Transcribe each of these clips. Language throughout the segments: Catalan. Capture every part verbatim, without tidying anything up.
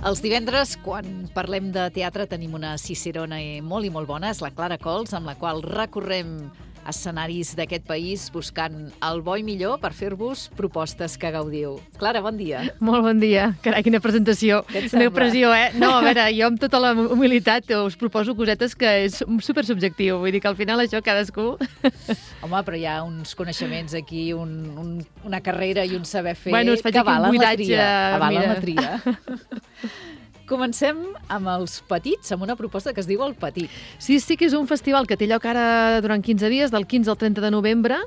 Els divendres, quan parlem de teatre, tenim una cicerona molt i molt bona, és la Clara Cols, amb la qual recorrem escenaris d'aquest país buscant el bo i millor per fer-vos propostes que gaudiu. Clara, bon dia. Molt bon dia. Carai, quina presentació. Quina pressió, eh? No, a veure, jo amb tota la humilitat us proposo cosetes que és super subjectiu. Vull dir que al final això cadascú... Home, però hi ha uns coneixements aquí, un, un, una carrera i un saber fer bueno, que valen la tria. Avalen la tria. Comencem amb els petits, amb una proposta que es diu El Petit. Sí, sí que és un festival que té lloc ara durant quinze dies, del quinze al trenta de novembre.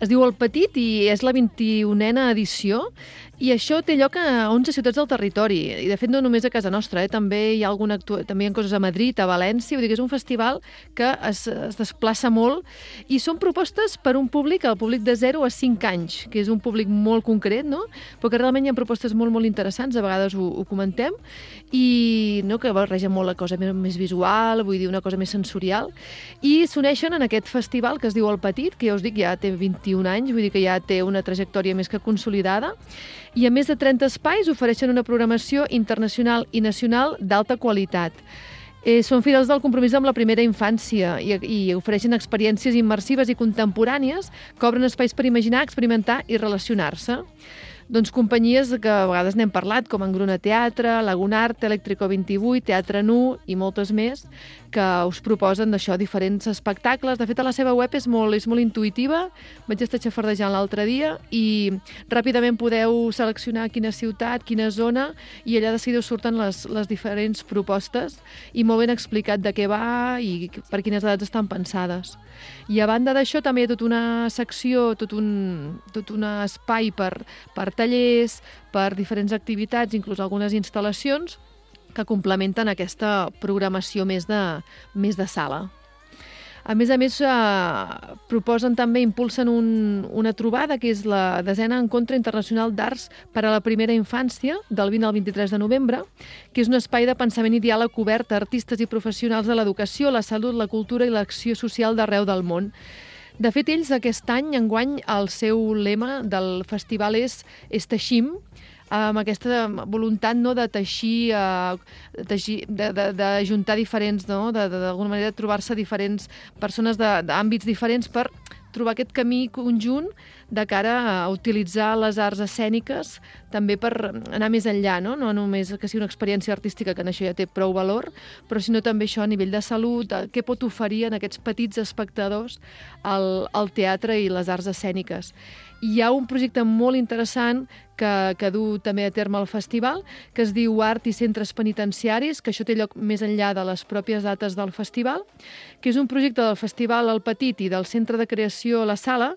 Es diu El Petit i és la vint-i-unena edició. I això té lloc a onze ciutats del territori. I, de fet, no només a casa nostra, eh? també hi ha alguna actua... també hi ha coses a Madrid, a València. Vull dir que és un festival que es, es desplaça molt i són propostes per un públic, el públic de zero a cinc anys, que és un públic molt concret, no? Però que realment hi ha propostes molt, molt interessants, a vegades ho, ho comentem, i no, que barreja molt la cosa més, més visual, vull dir, una cosa més sensorial. I s'uneixen en aquest festival que es diu El Petit, que ja us dic, ja té vint-i-un anys, vull dir que ja té una trajectòria més que consolidada, i a més de trenta espais ofereixen una programació internacional i nacional d'alta qualitat. Eh, són fidels del compromís amb la primera infància i, i ofereixen experiències immersives i contemporànies que obren espais per imaginar, experimentar i relacionar-se. Doncs companyies que a vegades n'hem parlat, com Engruna Teatre, Lagunart, Electrico vint-i-vuit, Teatre Nu i moltes més, que us proposen d'això diferents espectacles. De fet, a la seva web és molt, és molt intuïtiva. Vaig estar xafardejant l'altre dia i ràpidament podeu seleccionar quina ciutat, quina zona, i allà de seguida us surten les, les diferents propostes i molt ben explicat de què va i per quines edats estan pensades. I a banda d'això també hi ha tota una secció, tot un, tot un espai per, per tallers, per diferents activitats, inclús algunes instal·lacions que complementen aquesta programació més de, més de sala. A més a més, eh, proposen també, impulsen un, una trobada que és la desena Encontre Internacional d'Arts per a la Primera Infància, del vint al vint-i-tres de novembre, que és un espai de pensament i diàleg obert a artistes i professionals de l'educació, la salut, la cultura i l'acció social d'arreu del món. De fet, ells aquest any, enguany, el seu lema del festival és És Teixim, amb aquesta voluntat, no, de teixir, uh, teixir de, de, de juntar diferents, no, d'alguna manera trobar-se diferents persones d'àmbits diferents per trobar aquest camí conjunt de cara a utilitzar les arts escèniques també per anar més enllà, no? No només que sigui una experiència artística, que en això ja té prou valor, però sinó també això a nivell de salut, què pot oferir en aquests petits espectadors el, el teatre i les arts escèniques. Hi ha un projecte molt interessant que, que du també a terme el festival, que es diu Art i Centres Penitenciaris, que això té lloc més enllà de les pròpies dates del festival, que és un projecte del Festival El Petit i del Centre de Creació La Sala,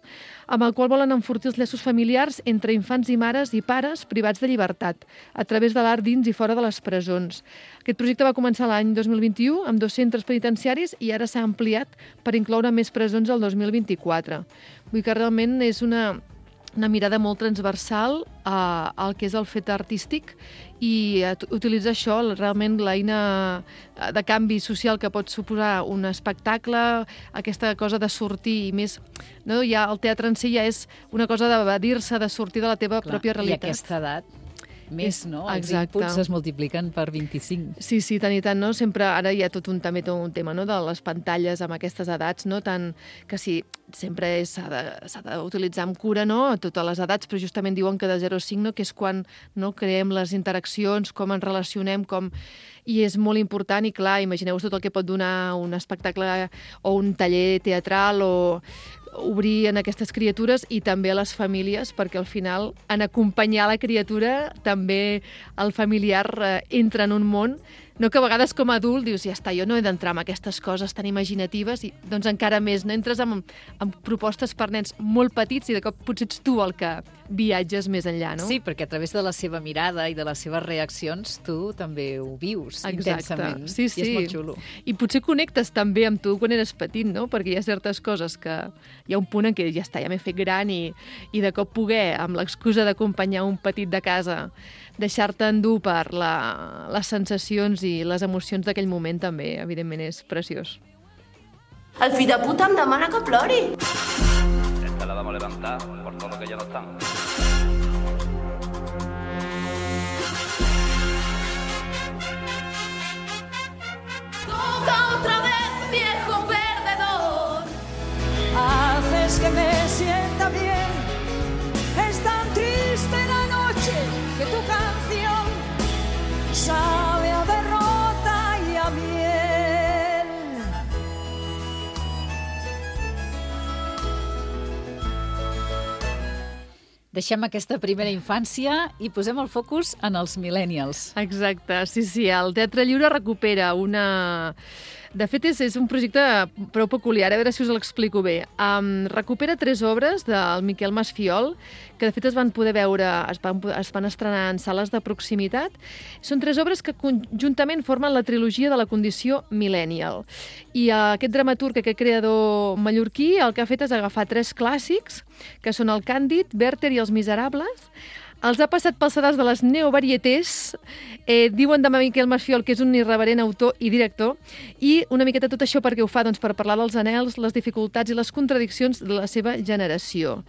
amb el qual volen enfortir els llaços familiars entre infants i mares i pares privats de llibertat, a través de l'art dins i fora de les presons. Aquest projecte va començar l'any dos mil vint-i-u amb dos centres penitenciaris i ara s'ha ampliat per incloure més presons el dos mil vint-i-quatre. Vull dir que realment és una... una mirada molt transversal a, al que és el fet artístic i utilitzar això, realment l'eina de canvi social que pot suposar un espectacle, aquesta cosa de sortir i més... No? Ja el teatre en si ja és una cosa d'evadir-se, de sortir de la teva Clar, pròpia realitat. I a aquesta edat més, no? Els Exacte. Inputs es multipliquen per vint-i-cinc. Sí, sí, tant i tant, no? Sempre, ara hi ha tot un, també tot un tema, no?, de les pantalles amb aquestes edats, no? Tant que sí, sempre s'ha d'utilitzar amb cura, no?, a totes les edats, però justament diuen que de zero a cinc, no?, que és quan, no?, creem les interaccions, com ens relacionem, com... I és molt important i, clar, imagineu-vos tot el que pot donar un espectacle o un taller teatral o obrir en aquestes criatures i també a les famílies, perquè al final, en acompanyar la criatura, també el familiar eh, entra en un món, no, que a vegades com a adult dius, ja està, jo no he d'entrar en aquestes coses tan imaginatives, i doncs encara més, no entres amb, amb propostes per nens molt petits i de cop potser ets tu el que viatges més enllà, no? Sí, perquè a través de la seva mirada i de les seves reaccions tu també ho vius Exacte. Intensament. Sí, sí. I és molt xulo. I potser connectes també amb tu quan eres petit, no? Perquè hi ha certes coses que hi ha un punt en què ja està, ja m'he fet gran i, i de cop poder, amb l'excusa d'acompanyar un petit de casa, deixar-te endur per la, les sensacions i les emocions d'aquell moment també, evidentment, és preciós. El fill de puta em demana que plori. Esta la vamos a levantar por todo lo que ya no están. está bien. Es tan triste la noche que tu canción sabe a derrota y a miel. Deixem aquesta primera infància i posem el focus en els millennials. Exacte, sí, sí. El Teatre Lliure recupera una... De fet, és, és un projecte prou peculiar, a veure si us l'explico bé. Um, recupera tres obres del Miquel Masfiol, que de fet es van poder veure, es van, es van estrenar en sales de proximitat. Són tres obres que conjuntament formen la trilogia de la condició millennial. I uh, aquest dramaturg, aquest creador mallorquí, el que ha fet és agafar tres clàssics, que són el Càndid, Werther i els Miserables. Els ha passat pels sedars de les neovarietés, eh, diuen de Miquel Masfiol que és un irreverent autor i director, i una miqueta tot això perquè ho fa doncs, per parlar dels anhels, les dificultats i les contradiccions de la seva generació.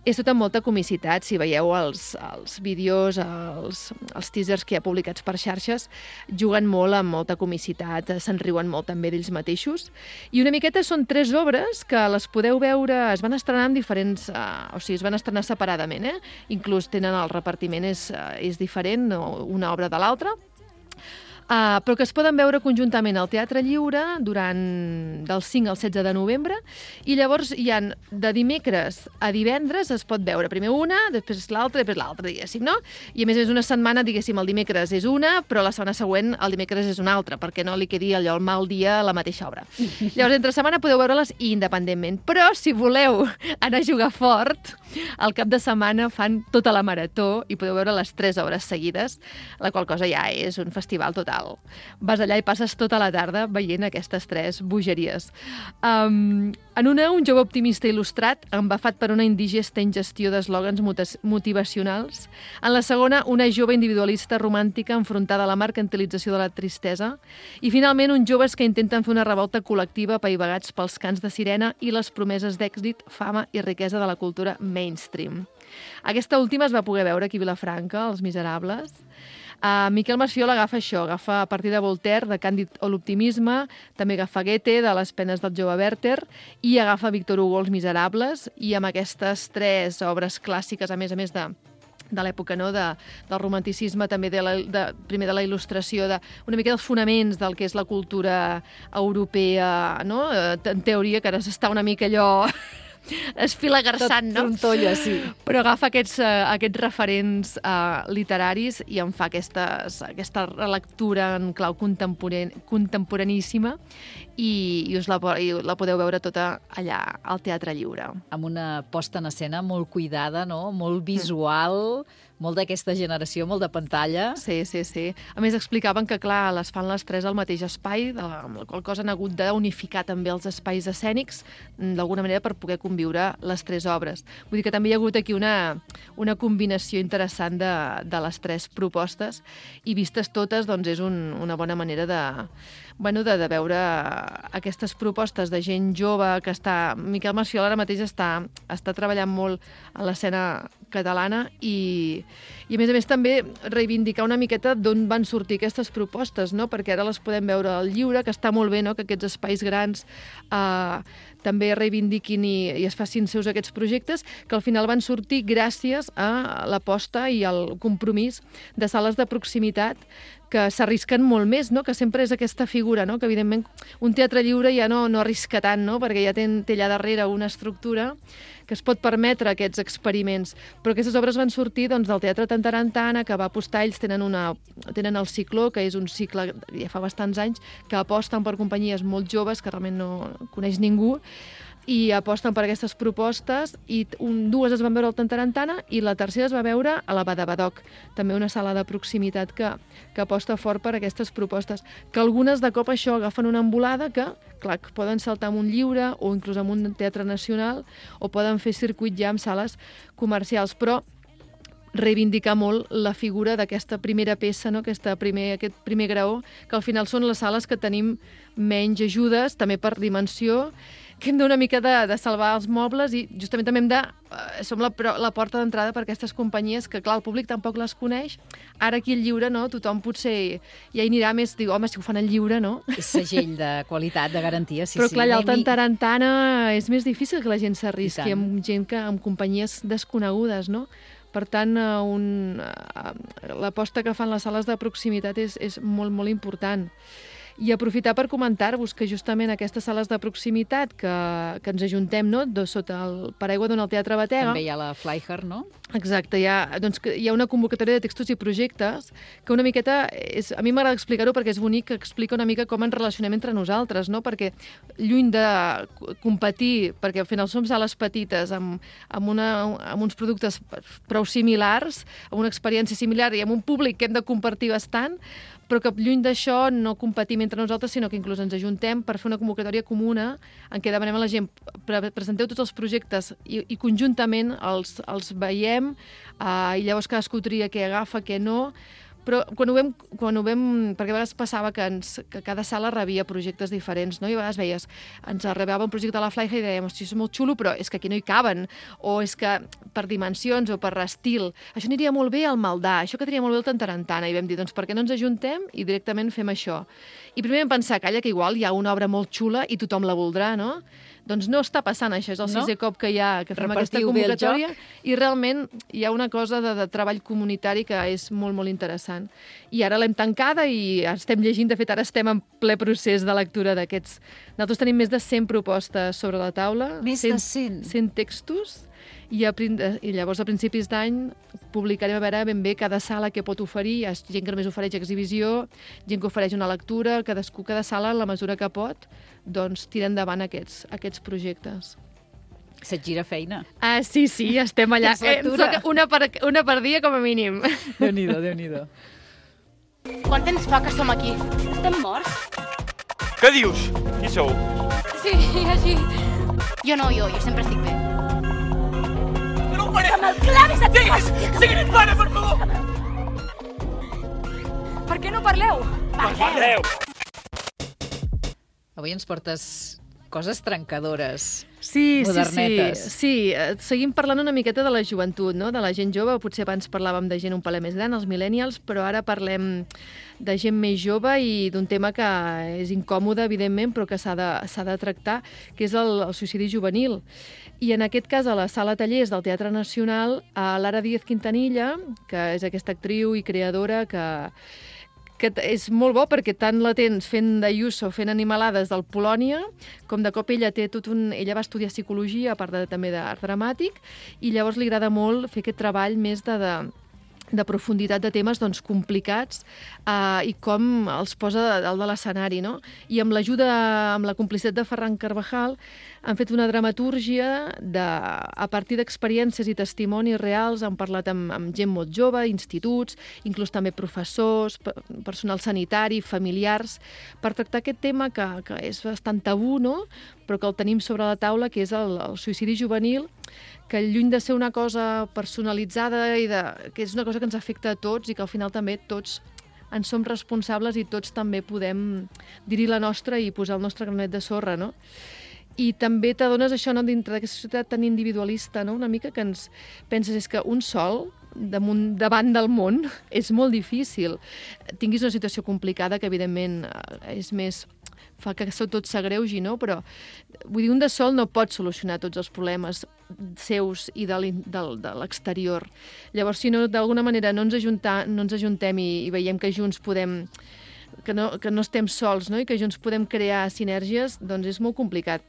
És tot amb molta comicitat, si veieu els, els vídeos, els, els teasers que hi ha publicats per xarxes, juguen molt amb molta comicitat, se'n riuen molt també d'ells mateixos. I una miqueta són tres obres que les podeu veure, es van estrenar en diferents... Uh, o sigui, es van estrenar separadament, eh? Inclús tenen el repartiment és, uh, és diferent, una obra de l'altra. Uh, però que es poden veure conjuntament al Teatre Lliure durant del cinc al setze de novembre, i llavors hi han de dimecres a divendres es pot veure primer una, després l'altra, després l'altra, diguéssim, no? I a més és una setmana, diguéssim, el dimecres és una, però la setmana següent el dimecres és una altra, perquè no li quedi allò el mal dia a la mateixa obra. Llavors, entre setmana podeu veure-les independentment, però si voleu anar a jugar fort, al cap de setmana fan tota la marató i podeu veure les tres obres seguides, la qual cosa ja és un festival total. Vas allà i passes tota la tarda veient aquestes tres bogeries. Um, en una, un jove optimista il·lustrat, embafat per una indigesta ingestió d'eslògans motivacionals. En la segona, una jove individualista romàntica enfrontada a la mercantilització de la tristesa. I finalment, uns joves que intenten fer una revolta col·lectiva apaivagats pels cants de sirena i les promeses d'èxit, fama i riquesa de la cultura mainstream. Aquesta última es va poder veure aquí a Vilafranca, Els Miserables. Uh, Miquel Masfiol agafa això, agafa a partir de Voltaire, de Càndid o l'optimisme, també agafa Goethe, de Les penes del jove Werther, i agafa Victor Hugo, Els Miserables, i amb aquestes tres obres clàssiques, a més a més de de l'època, no? de, del romanticisme, també de la, de, primer de la il·lustració, de, una mica dels fonaments del que és la cultura europea, no? En teoria, que ara s'està una mica allò... esfilagarçant, no? Tot trontolla, sí. Però agafa aquests, uh, aquests referents uh, literaris i en fa aquestes, aquesta relectura en clau contemporan contemporaníssima i, i us la, i la podeu veure tota allà al Teatre Lliure. Amb una posta en escena molt cuidada, no? Molt visual, mm. molt d'aquesta generació, molt de pantalla. Sí, sí, sí. A més, explicaven que, clar, les fan les tres al mateix espai, de la, amb la qual cosa han hagut d'unificar també els espais escènics, d'alguna manera per poder conviure les tres obres. Vull dir que també hi ha hagut aquí una, una combinació interessant de, de les tres propostes i vistes totes, doncs és un, una bona manera de, bueno, de, de veure aquestes propostes de gent jove que està... Miquel Masfiol ara mateix està, està treballant molt a l'escena catalana i, i a més a més també reivindicar una miqueta d'on van sortir aquestes propostes, no? Perquè ara les podem veure al Lliure, que està molt bé, no? Que aquests espais grans eh, també reivindiquin i, i es facin seus aquests projectes, que al final van sortir gràcies a l'aposta i al compromís de sales de proximitat que s'arrisquen molt més, no? Que sempre és aquesta figura, no? Que evidentment un teatre lliure ja no, no arrisca tant, no? Perquè ja té, té allà darrere una estructura que es pot permetre aquests experiments. Però aquestes obres van sortir doncs, del Teatre Tantarantana, que va apostar, ells tenen, una, tenen el Cicló, que és un cicle ja fa bastants anys, que aposten per companyies molt joves, que realment no coneix ningú, i aposten per aquestes propostes, i un, dues es van veure al Tantarantana i la tercera es va veure a la Badabadoc, també una sala de proximitat que, que aposta fort per aquestes propostes, que algunes de cop això agafen una embolada que, clar, que poden saltar amb un Lliure o inclús amb un teatre nacional o poden fer circuit ja amb sales comercials, però reivindicar molt la figura d'aquesta primera peça, no? Aquesta primer, aquest primer graó, que al final són les sales que tenim menys ajudes, també per dimensió, que hem d'una mica de, de salvar els mobles i justament també hem de... Eh, som la, la porta d'entrada per aquestes companyies que, clar, el públic tampoc les coneix. Ara aquí el lliure, no? Tothom potser ja hi anirà més, diu, home, si ho fan al lliure, no? És segell de qualitat, de garantia, sí, Però, sí. clar, allà al Anem-hi. Tarantana és més difícil que la gent s'arrisqui amb gent que, amb companyies desconegudes, no? Per tant, un, l'aposta que fan les sales de proximitat és, és molt, molt important. I aprofitar per comentar-vos que justament aquestes sales de proximitat que, que ens ajuntem, no?, de, sota el paraigua d'on el Teatre Batega. També hi ha la Flyher, no? Exacte, hi ha, doncs, que hi ha una convocatòria de textos i projectes que una miqueta, és, a mi m'agrada explicar-ho perquè és bonic, que explica una mica com ens relacionem entre nosaltres, no? Perquè lluny de competir, perquè al final som sales petites amb, amb, una, amb uns productes prou similars, amb una experiència similar i amb un públic que hem de compartir bastant, però que lluny d'això no competim entre nosaltres, sinó que inclús ens ajuntem per fer una convocatòria comuna en què demanem a la gent, pre presenteu tots els projectes i, i conjuntament els, els veiem uh, i llavors cadascú tria què agafa, què no, però quan ho vam, quan ho vam perquè a vegades passava que, ens, que cada sala rebia projectes diferents, no? I a vegades veies, ens arribava un projecte a la Flyher i dèiem, hosti, és molt xulo, però és que aquí no hi caben, o és que per dimensions o per estil, això aniria molt bé al Maldà, això quedaria molt bé al Tarantana, i vam dir, doncs per què no ens ajuntem i directament fem això? I primer vam pensar, calla, que igual hi ha una obra molt xula i tothom la voldrà, no? Doncs no està passant això, és el no? sisè cop que hi ha que fem Repartiu aquesta convocatòria i realment hi ha una cosa de, de treball comunitari que és molt, molt interessant. I ara l'hem tancada i estem llegint, de fet ara estem en ple procés de lectura d'aquests. Nosaltres tenim més de cent propostes sobre la taula. Més de cent? cent textos. I, a, I llavors a principis d'any publicarem a veure ben bé cada sala que pot oferir. Hi ha gent que només ofereix exhibició, gent que ofereix una lectura, cadascú, cada sala, en la mesura que pot, doncs tira endavant aquests, aquests projectes. Se't gira feina. Ah, sí, sí, estem allà. Tens lectura. Eh, una, per, una per dia com a mínim. Déu-n'hi-do, Déu-n'hi-do. Quant temps fa que som aquí? Estem morts? Què dius? Qui sou? Sí, així. Jo no, jo, jo sempre estic bé. Que no ho faré! Que me'l clavis a tu! Siguis! Siguis, para, per favor! Per què no parleu? Parleu! Avui ens portes coses trencadores, Sí, modernetes. sí, sí. sí. Seguim parlant una miqueta de la joventut, no? De la gent jove. Potser abans parlàvem de gent un palet més gran, els millennials, però ara parlem de gent més jove i d'un tema que és incòmode, evidentment, però que s'ha de, s'ha de tractar, que és el, el suïcidi juvenil. I en aquest cas, a la Sala Tallers del Teatre Nacional, a Lara Díaz Quintanilla, que és aquesta actriu i creadora que que és molt bo perquè tant la tens fent d'Ayuso, fent animalades del Polònia, com de cop ella té tot un... Ella va estudiar psicologia, a part de, també d'art dramàtic, i llavors li agrada molt fer aquest treball més de... de de profunditat de temes doncs, complicats eh, i com els posa dalt de l'escenari, no? I amb l'ajuda, amb la complicitat de Ferran Carvajal, han fet una dramatúrgia de, a partir d'experiències i testimonis reals, han parlat amb, amb gent molt jove, instituts, inclús també professors, personal sanitari, familiars, per tractar aquest tema que, que és bastant tabú, no? Però que el tenim sobre la taula, que és el, el suïcidi juvenil, que lluny de ser una cosa personalitzada i de, que és una cosa que ens afecta a tots i que al final també tots en som responsables i tots també podem dir-hi la nostra i posar el nostre granet de sorra, no? I també t'adones això, no?, dintre d'aquesta societat tan individualista, no?, una mica que ens penses és que un sol damunt, davant del món és molt difícil. Tinguis una situació complicada que evidentment és més... fa que tot s'agreugi, no? Però vull dir, un de sol no pot solucionar tots els problemes seus i de l'exterior. Llavors, si no, d'alguna manera no ens, ajuntar, no ens ajuntem i, i veiem que junts podem... Que no, que no estem sols, no? I que junts podem crear sinergies, doncs és molt complicat.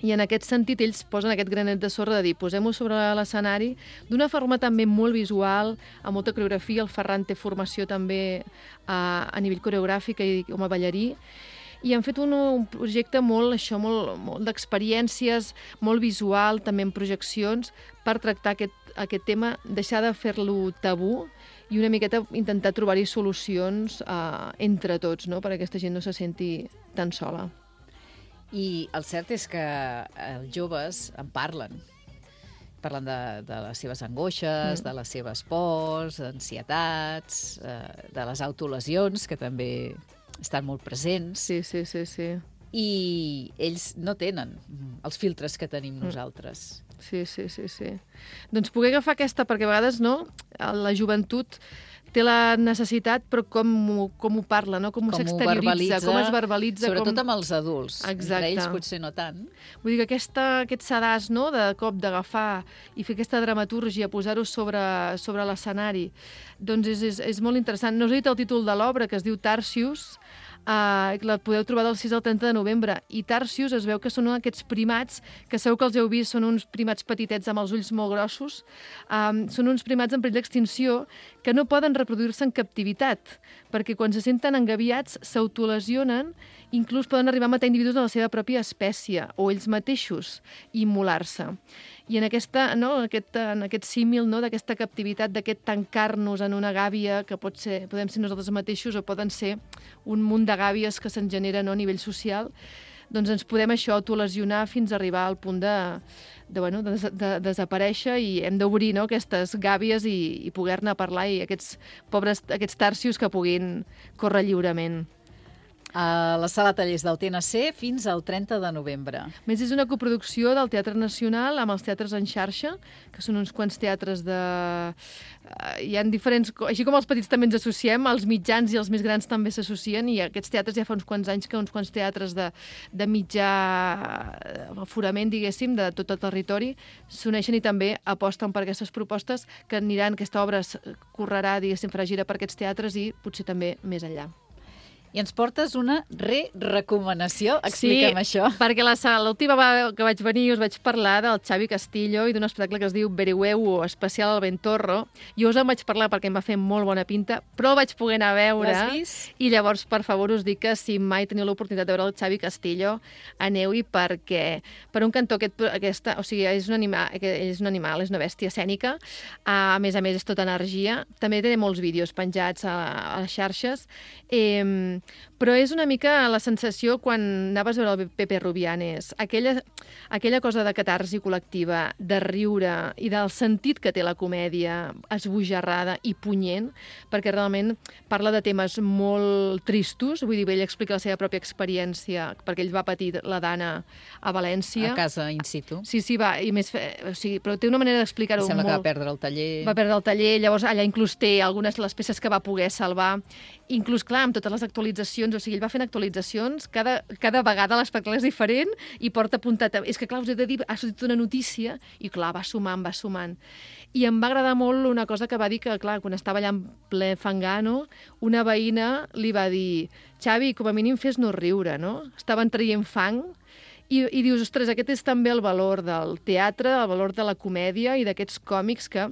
I en aquest sentit ells posen aquest granet de sorra de dir posem-ho sobre l'escenari d'una forma també molt visual, amb molta coreografia. El Ferran té formació també a, a nivell coreogràfic i com a ballarí. I han fet un, un projecte molt, això, molt, molt d'experiències, molt visual, també en projeccions, per tractar aquest, aquest tema, deixar de fer-lo tabú i una miqueta intentar trobar-hi solucions eh, entre tots, no?, perquè aquesta gent no se senti tan sola. I el cert és que els joves en parlen. Parlen de, de les seves angoixes, mm. de les seves pors, ansietats, eh, de les autolesions, que també estan molt presents. Sí, sí, sí, sí. i ells no tenen els filtres que tenim nosaltres. Sí, sí, sí, sí. Doncs poder agafar aquesta, perquè a vegades no, la joventut té la necessitat, però com, com ho parla, no? com, com s'exterioritza, com es verbalitza. Sobretot com... amb els adults. Exacte. Entre ells potser no tant. Vull dir que aquesta, aquest sedàs, no?, de cop d'agafar i fer aquesta dramatúrgia, posar-ho sobre, sobre l'escenari, doncs és, és, és molt interessant. No us he dit el títol de l'obra, que es diu Tarsius, Uh, la podeu trobar del sis al trenta de novembre. I Tarsius es veu que són aquests primats, que segur que els heu vist, són uns primats petitets amb els ulls molt grossos. Um, són uns primats en perill d'extinció que no poden reproduir-se en captivitat, perquè quan se senten engaviats s'autolesionen, inclús poden arribar a matar individus de la seva pròpia espècie, o ells mateixos, i immolar-se. I en, aquesta, no, aquest, en aquest símil no, d'aquesta captivitat, d'aquest tancar-nos en una gàbia, que pot ser, podem ser nosaltres mateixos o poden ser un munt de gàbies que se'n generen no, a nivell social, doncs ens podem això autolesionar fins a arribar al punt de, de, bueno, de, de desaparèixer, i hem d'obrir no, aquestes gàbies i, i poder-ne parlar, i aquests pobres aquests tarsius que puguin córrer lliurement. A la Sala Tallers del T N C fins al trenta de novembre. A més, és una coproducció del Teatre Nacional amb els teatres en xarxa, que són uns quants teatres de... Hi ha diferents... Així com els petits també ens associem, els mitjans i els més grans també s'associen, i aquests teatres ja fa uns quants anys que uns quants teatres de, de mitjà aforament, diguéssim, de tot el territori, s'uneixen i també aposten per aquestes propostes que aniran, aquesta obra correrà, diguéssim, farà gira per aquests teatres i potser també més enllà. I ens portes una re-recomanació. Explica'm sí, això. Sí, perquè l'última vegada que vaig venir us vaig parlar del Xavi Castillo i d'un espectacle que es diu Verihuevo, especial al Ventorro. Jo us en vaig parlar perquè em va fer molt bona pinta, però el vaig poder anar a veure. L'has vist? I llavors, per favor, us dic que si mai teniu l'oportunitat de veure el Xavi Castillo, aneu-hi, perquè, per un cantó, aquest, aquesta, o sigui, és un, anima, és un animal, és una bèstia escènica, a més a més és tota energia, també té molts vídeos penjats a, a les xarxes, eh, però és una mica la sensació quan anaves a veure el Pepe Rubianes, aquella, aquella cosa de catarsi col·lectiva, de riure i del sentit que té la comèdia, esbojarrada i punyent, perquè realment parla de temes molt tristos, vull dir, ell explica la seva pròpia experiència, perquè ell va patir la Dana a València. A casa, in situ. Sí, sí, va, i més, o sigui, però té una manera d'explicar-ho molt. Sembla que va perdre el taller. Va perdre el taller, llavors allà inclús té algunes de les peces que va poder salvar, inclús, clar, amb totes les actualitzacions, o sigui, ell va fent actualitzacions, cada, cada vegada l'espectacle és diferent i porta apuntat... És que, clar, us he de dir, ha sortit una notícia i, clar, va sumant, va sumant. I em va agradar molt una cosa que va dir que, clar, quan estava allà en ple fangano, una veïna li va dir Xavi, com a mínim fes-nos riure, no? Estaven traient fang i, i dius, ostres, aquest és també el valor del teatre, el valor de la comèdia i d'aquests còmics que...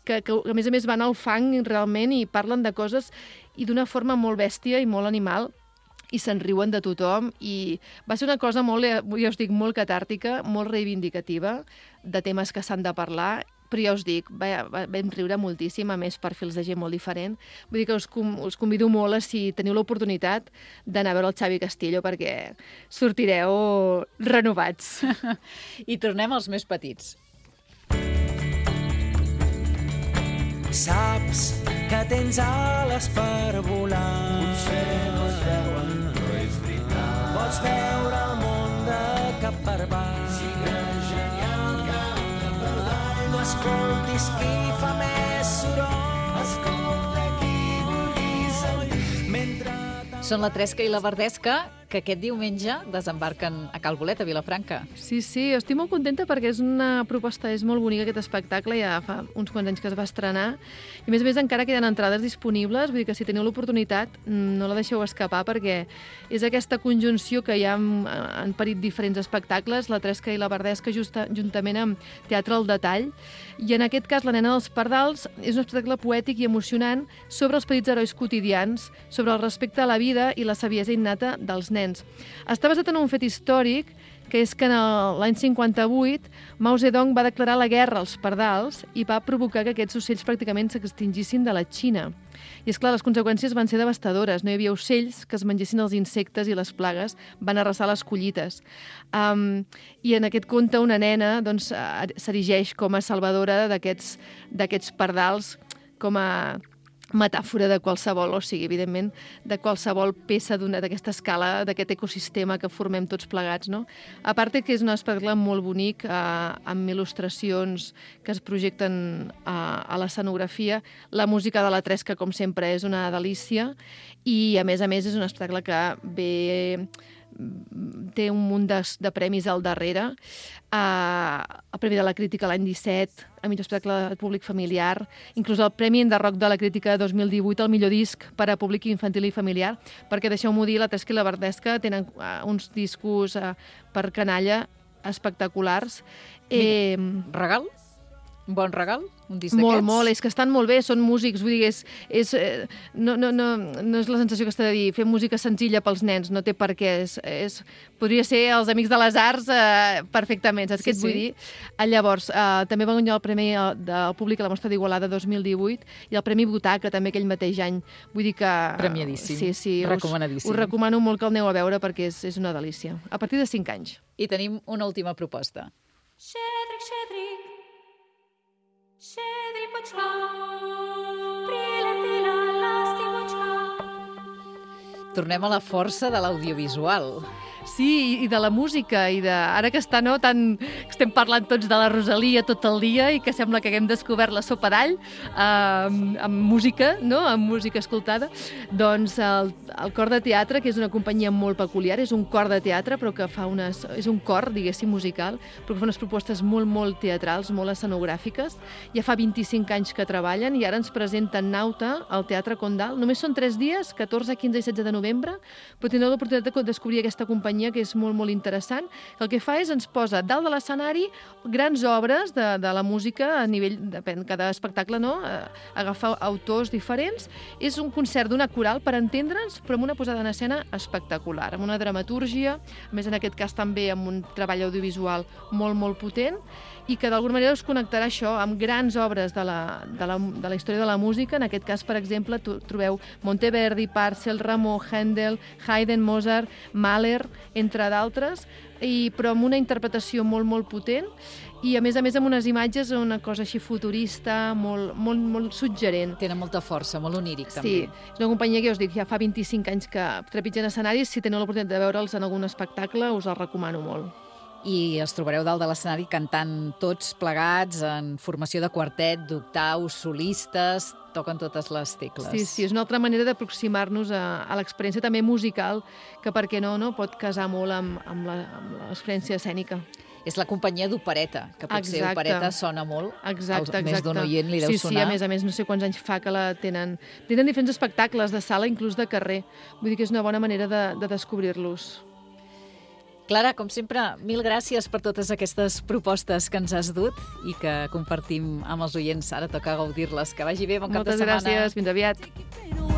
Que, que a més a més van al fang realment i parlen de coses i d'una forma molt bèstia i molt animal i se'n riuen de tothom, i va ser una cosa molt, ja us dic, molt catàrtica, molt reivindicativa de temes que s'han de parlar, però ja us dic, va, va, vam riure moltíssim, a més perfils de gent molt diferent. Vull dir que us, com, us convido molt a, si teniu l'oportunitat, d'anar a veure el Xavi Castillo, perquè sortireu renovats. I tornem als més petits. Saps que tens ales per volar. Potser no es veuen, però és veritat. Pots veure el món de cap per baix. Sigues genial, canta per dalt. No escoltis qui fa més soroll. Escolta qui vulguis sentir. Mentre... Són la Tresca i la Verdesca, que aquest diumenge desembarquen a Cal Bolet, a Vilafranca. Sí, sí, estic molt contenta perquè és una proposta, és molt bonica aquest espectacle, ja fa uns quants anys que es va estrenar, i a més a més encara queden entrades disponibles, vull dir que si teniu l'oportunitat no la deixeu escapar, perquè és aquesta conjunció que hi ha en parit diferents espectacles, la Tresca i la Verdesca justa, juntament amb Teatre al Detall, i en aquest cas La nena dels pardals és un espectacle poètic i emocionant sobre els petits herois quotidians, sobre el respecte a la vida i la saviesa innata dels nens. Està basat en un fet històric, que és que l'any cinquanta-vuit Mao Zedong va declarar la guerra als pardals i va provocar que aquests ocells pràcticament s'extingissin de la Xina. I, esclar, les conseqüències van ser devastadores. No hi havia ocells que es mengessin els insectes i les plagues van arrasar les collites. Um, I en aquest conte una nena doncs, s'erigeix com a salvadora d'aquests d'aquests pardals, com a metàfora de qualsevol, o sigui, evidentment, de qualsevol peça d'una d'aquesta escala, d'aquest ecosistema que formem tots plegats, no? A part que és un espectacle molt bonic, eh, amb il·lustracions que es projecten a, a l'escenografia, la música de la Tresca, com sempre, és una delícia, i, a més a més, és un espectacle que ve... té un munt de, de premis al darrere. Uh, el Premi de la Crítica l'any disset, el millor espectacle públic familiar, inclús el Premi Enderroc de la Crítica dos mil divuit, el millor disc per a públic infantil i familiar, perquè, deixeu-m'ho dir, la Tresca i la Verdesca tenen uh, uns discos uh, per canalla espectaculars. Eh, Regal? Un bon regal? Un disc molt, d'aquests? molt. És que estan molt bé, són músics, vull dir, és, és, eh, no, no, no, no és la sensació que està de dir, fer música senzilla pels nens, no té per què. És, és, podria ser els Amics de les Arts eh, perfectament, saps Sí, què et vull sí. dir? Eh, llavors, eh, també va guanyar el Premi eh, del Públic a la Mostra d'Igualada dos mil divuit i el Premi Butaca també aquell mateix any. Vull dir que... Premiadíssim. Sí, sí. Recomanadíssim. Us, us recomano molt que el aneu a veure perquè és, és una delícia. A partir de cinc anys. I tenim una última proposta. Щедрик, щедрик, щедріпочка, прилетіла ластівочка. Tornem a la força de l'audiovisual. Sí, i de la música, i de... Ara que està, no, tan... estem parlant tots de la Rosalia tot el dia i que sembla que haguem descobert la sopa d'all eh, amb, amb música, no?, amb música escoltada, doncs el, el Cor de Teatre, que és una companyia molt peculiar, és un cor de teatre, però que fa unes... és un cor, diguéssim, musical, però que fa unes propostes molt, molt teatrals, molt escenogràfiques. Ja fa vint-i-cinc anys que treballen i ara ens presenten Nauta al Teatre Condal. Només són tres dies, catorze, quinze i setze de novembre, però tindreu l'oportunitat de descobrir aquesta companyia que és molt, molt interessant, que el que fa és ens posa dalt de l'escenari grans obres de, de la música a nivell, depèn, cada espectacle, no?, agafar autors diferents. És un concert d'una coral per entendre'ns, però amb una posada en escena espectacular, amb una dramatúrgia, a més en aquest cas també amb un treball audiovisual molt, molt potent, i que d'alguna manera us connectarà això amb grans obres de la, de la, de la història de la música. En aquest cas, per exemple, trobeu Monteverdi, Purcell, Rameau, Händel, Haydn, Mozart, Mahler, entre d'altres, i, però amb una interpretació molt, molt potent, i a més a més amb unes imatges, una cosa així futurista, molt, molt, molt suggerent. Tenen molta força, molt oníric, Sí, també. és una companyia que, us dic, ja fa vint-i-cinc anys que trepitgen escenaris. Si teniu l'oportunitat de veure'ls en algun espectacle, us el recomano molt. I es trobareu dalt de l'escenari cantant tots plegats en formació de quartet, d'octaus, solistes, toquen totes les tecles. Sí, sí, és una altra manera d'aproximar-nos a, a l'experiència també musical, que per què no, no pot casar molt amb, amb la- amb l'experiència escènica. És la companyia d'opereta, que potser Exacte. opereta sona molt. Exacte, Al- exacte. Més d'un oient li deu sí, sonar. Sí, a més a més, no sé quants anys fa que la tenen. Tenen diferents espectacles de sala, inclús de carrer. Vull dir que és una bona manera de, de descobrir-los. Clara, com sempre, mil gràcies per totes aquestes propostes que ens has dut i que compartim amb els oients. Ara toca gaudir-les. Que vagi bé, bon cap de Moltes setmana. gràcies, fins aviat. Pero